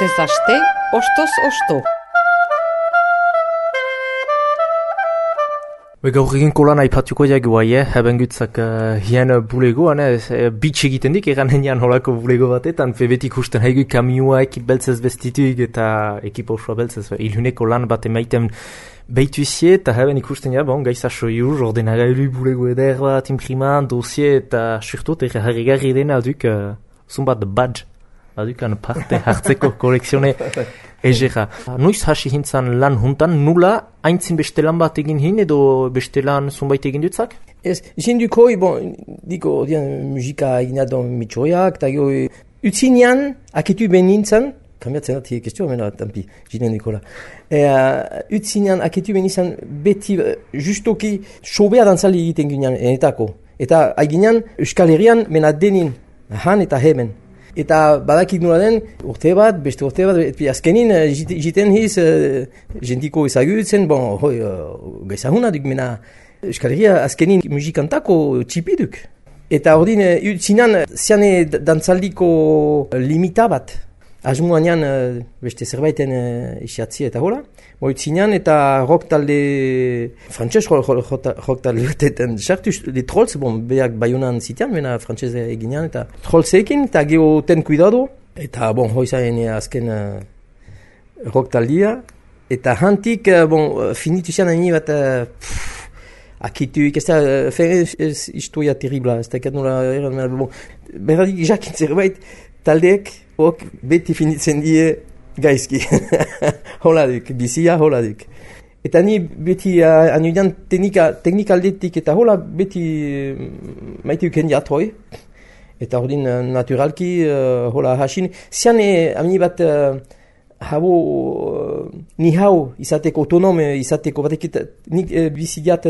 Astez aste, ostoz osto. Gaur eginko lan aipatuko jagu haben gutzak hien bulegoan, bitx egiten dik, egan henian holako bulego batetan, betik usten haigu kamioa ekip beltzez bestituik eta ekipa osoa beltzez, ilhuneko lan bat emaiten behituizie, eta haben ikusten gaiza soiur, ordenagailu bulego eder bat, impriman, dosie, eta surtot harrigarri dena duk, zumbat badge, adukan parte hartzeko kolekzione egera. Noiz hasi hintzan lan juntan, nula haintzin beste lan bat egin hin edo beste lan zunbait egin dutzak? Ez, jendukoi, diko, musika egin adon mitxoiak, eta utzinean, aketu ben nintzen, kambiatzen dati kestio, mena, tampi, jinen Nikola. Utzinean, aketu ben nintzen, beti, justoki, sobea dantzali egiten ginean, enetako. Eta haiginean, Euskal Herrian, mena denin, han eta hemen. Eta badakik nula den, urte bat, beste urte bat, azkenin jiten hiz, jentiko ezagutzen, gaizahuna duk, mena Euskal Herria azkenin musikantako txipiduk. Eta ordin, utzinan, ziane dantzaldiko limita bat, asmuanean beste zerbaiten isiatzi eta hola. Utzinan eta rock talde, frantxez rock talde batetan sartuz, de Trolls, beak Baionan zitean, mena frantxez eginean, eta Trollsekin, eta geho ten kuidado, eta hoizaen azken rock taldea, eta hantik, finitu zian haini bat, akituik, ez da, ez historia terribla, ez da, berradik jakin zerbait, taldeek, beti finitzen die, gaizki, holaduk, bizia holaduk. Eta ni beti anuidan teknikaldetik eta hola beti maite uken jatroi. Eta ordin naturalki hola hasin. Zian amini bat ni hau izateko autonome izateko batekit nik bizigat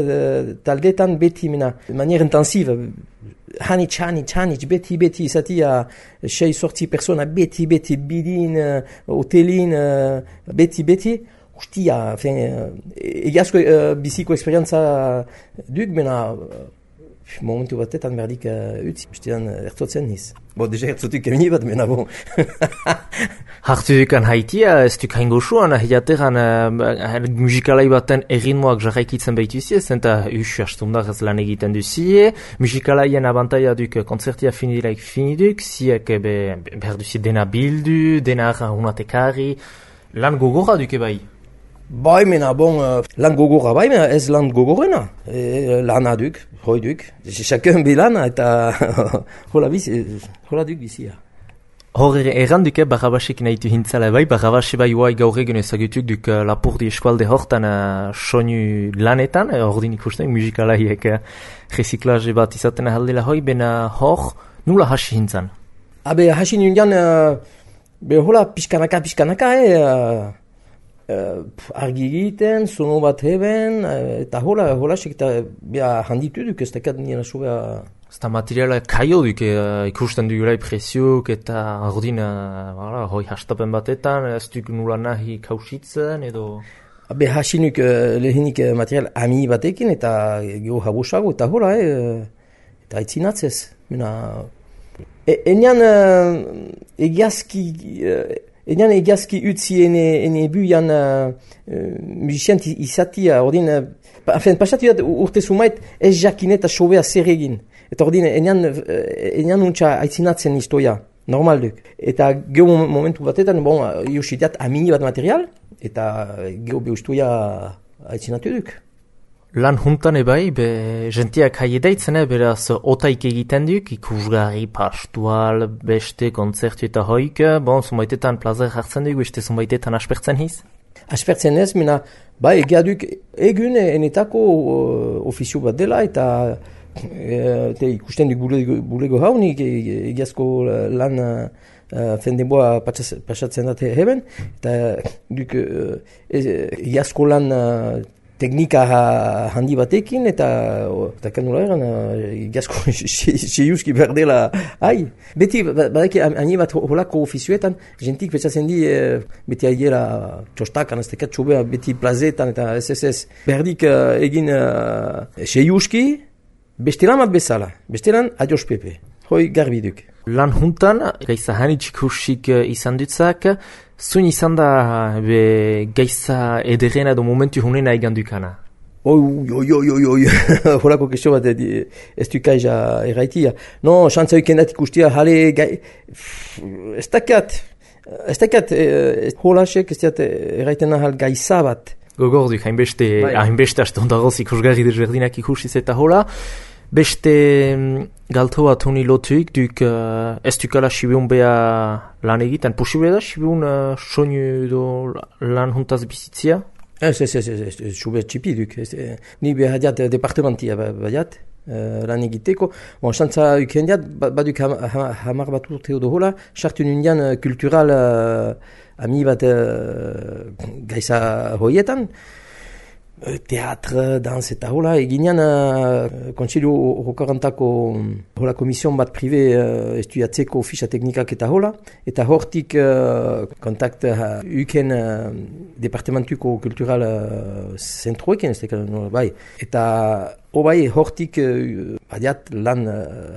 taldetan beti mena manier intensive. Hanitz, beti, izatia 6-sortzi persona, beti, bidin, hotelin, beti, ustia, egiazko biziko esperientza duk, mena, momentu batetan berdik utzi, ustean ertotzen niz. Deja ertzotuk emini bat, mena, Hartu dukan haitia, ez duk hain goxuan, hilateran musikalai baten erritmoak jarraikitzen behituzie, zenta astundak ez lan egiten duzie, musikalaien abantaia duk konzertia finiduk, ziek behar duzie dena bildu, dena unatekari, lan gogorra duke bai? Bai, mena, lan gogorra bai, mena ez lan gogorrena, lana duk, hoi duk, chakun bilana eta hola duk bizia. Hor erranduke Barrabasek nahitu hintzala bai, Barrabase bai huai gaur egun ezagutuk duk Lapurdi eskualde hortan soinu lanetan, ordin ikusten musikalaiek reziklaje bat izaten ahaldela hoi, bena hor nula hasi hintzan? Hasi nindian, hola pixkanaka, argi egiten, sono bat heben, eta hola sek eta handitu duk ez dakat nien asubea. Eta materiala kaio duk ikusten dugulai presiuk eta ordin hoi hastapen batetan, ez duk nula nahi kausitzen edo? Hasinuk lehenik material ami batekin eta geho habosago eta hola, eta aitzinatzez. Enean egiazki utzi ene buian musiciant izatia, ordin, pasatu urte sumait ez jakin eta sobea zer egin. Eta ordin, enean untsa aitzinatzen historia, normal duk. Eta geho momentu batetan, iositiat amini bat material, eta geho behustuia aitzinatu duk. Lan juntan ebai, jentiak haiedaitzen, beraz otaik egiten duk, ikusgarri, pastual, beste, konzertu eta hoik, zumbaitetan plazer hartzen duk, beste zumbaitetan aspertzen hiz? Aspertzen ez, egia duk egun enetako ofizio bat dela, eta ikusten duk bulego haunik, egiazko lan fendeboa pasatzen dute heben, eta duk egiazko lan teknika handi batekin, eta kanula eran, egiazko seiuski berdela hai. Beti, badaki, ani bat holako ofizioetan, jentik petsatzen di, beti aiera txostakan, ez tekat txobea, beti plazetan, eta ez. Berdik egin seiuski, bestelan bat bezala, bestelan adios Pepe. hoi garbi duk. Lan juntan, gaiza hanitxik hursik izan dutzak, zuen izan da gaiza ederrena edo momentu hunena egan dukana? Oi, horako kestio bat ez dukaiza erraitia. No, xantza ikendat ikustia, jale ez dakat, holasek ez diat erraiten ahal gaiza bat. Gogorduk, hainbeste astondagoz ikusgarri desberdinak ikusiz eta hola. Beste galto bat honi lotuik, ez dukala sibiun beha lan egiten. Posible da sibiun soinu edo lan juntaz bizitzia? Ez, sube txipi duk. Ni behar diat departamentia badiat, lan egiteko. Bon, xantza uken diat, baduk hamar bat urte edo hola, sartu nindian kultural ami bat gaiza hoietan, teatr, dans eta hola, eginean kontseilu hokarantako hola komision bat prive estudiatzeko ficha teknikak eta hola, eta hortik kontakt uken departamentuko kultural zentroekin, bai, eta bai hortik badiat lan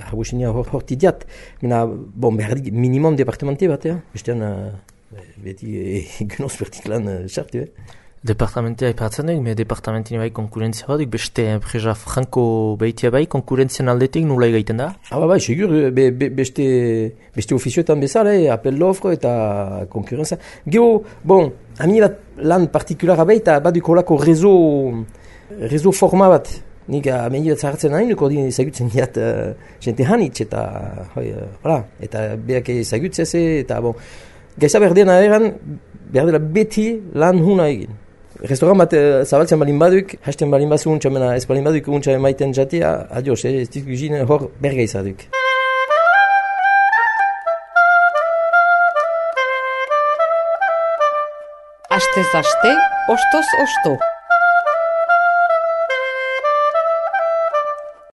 harbusinia hortik diat, mena, bon, behardik minimum departamente bat, bestean beti genoz bertik lan sartu, Departamentia ipatzen duk, departamentini bai konkurentzia bat duk, beste enpresa franko behitia bai, konkurentzian aldetik nula egiten da? Bai, segur, beste ofizioetan bezala, apel d'offre eta konkurrentzia. Gero, bon, ami bat lan partikulara bai, eta baduk holako rezo forma bat. Nik ameni bat zahartzen nahi, nuko ezagutzen diat jente hanitz, eta beak ezagutzez, eta bon, gaiza berdena eran, berdela beti lan huna egin. Restaurant bat zabaltzen balin baduk, hasten balin bazu untsa, mena ez balin baduk untsa emaiten jatea, adios, ez duk guzin hor bergeiza duk. Astez aste, ostoz osto.